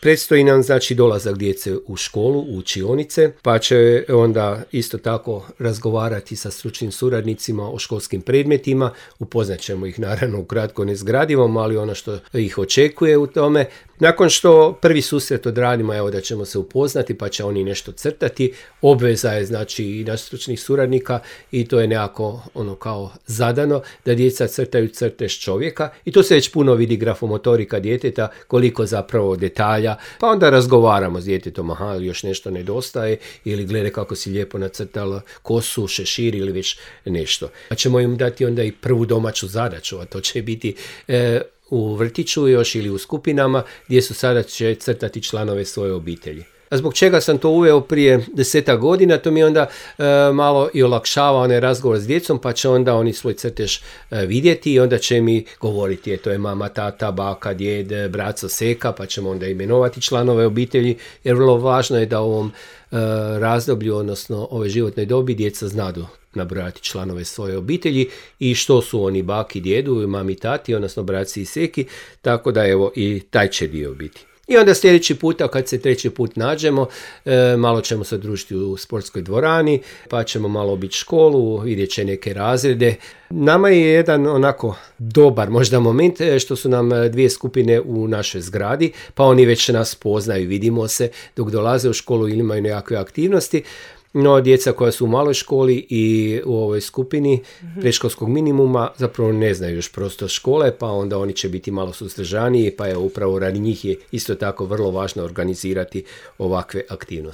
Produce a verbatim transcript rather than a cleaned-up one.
Predstoji nam znači dolazak djece u školu, u učionice, pa će onda isto tako razgovarati sa stručnim suradnicima o školskim predmetima, upoznat ćemo ih naravno ukratko nezgradivom, ali ono što ih očekuje u tome. Nakon što prvi susret odradimo, evo da ćemo se upoznati, pa će oni nešto crtati, obveza je znači i naš stručnih suradnika i to je nekako ono kao zadano da djeca crtaju crtež čovjeka i to se već puno vidi grafomotorika djeteta, koliko zapravo detalja, pa onda razgovaramo s djetetom, aha, još nešto nedostaje ili glede kako si lijepo nacrtala kosu, šešir ili već nešto. Pa ćemo im dati onda i prvu domaću zadaću, a to će biti e, u vrtiću još ili u skupinama gdje su sada će crtati članove svoje obitelji. A zbog čega sam to uveo prije desetak godina, to mi onda e, malo i olakšava onaj razgovor s djecom, pa će onda oni svoj crtež e, vidjeti i onda će mi govoriti, je, to je mama, tata, baka, djed, braco, seka, pa ćemo onda imenovati članove obitelji, jer vrlo važno je da u ovom e, razdoblju, odnosno ove životnoj dobi, djeca znadu nabrojati članove svoje obitelji i što su oni baki, djedu, mami, tati, odnosno braci i seki, tako da evo i taj će dio biti. I onda sljedeći puta, kad se treći put nađemo, e, malo ćemo se družiti u sportskoj dvorani, pa ćemo malo obići školu, vidjet će neke razrede. Nama je jedan onako dobar možda moment što su nam dvije skupine u našoj zgradi, pa oni već nas poznaju, vidimo se dok dolaze u školu ili imaju nekakve aktivnosti. No, djeca koja su u maloj školi i u ovoj skupini predškolskog minimuma zapravo ne znaju još prostor škole, pa onda oni će biti malo suzdržaniji, pa je upravo radi njih je isto tako vrlo važno organizirati ovakve aktivnosti.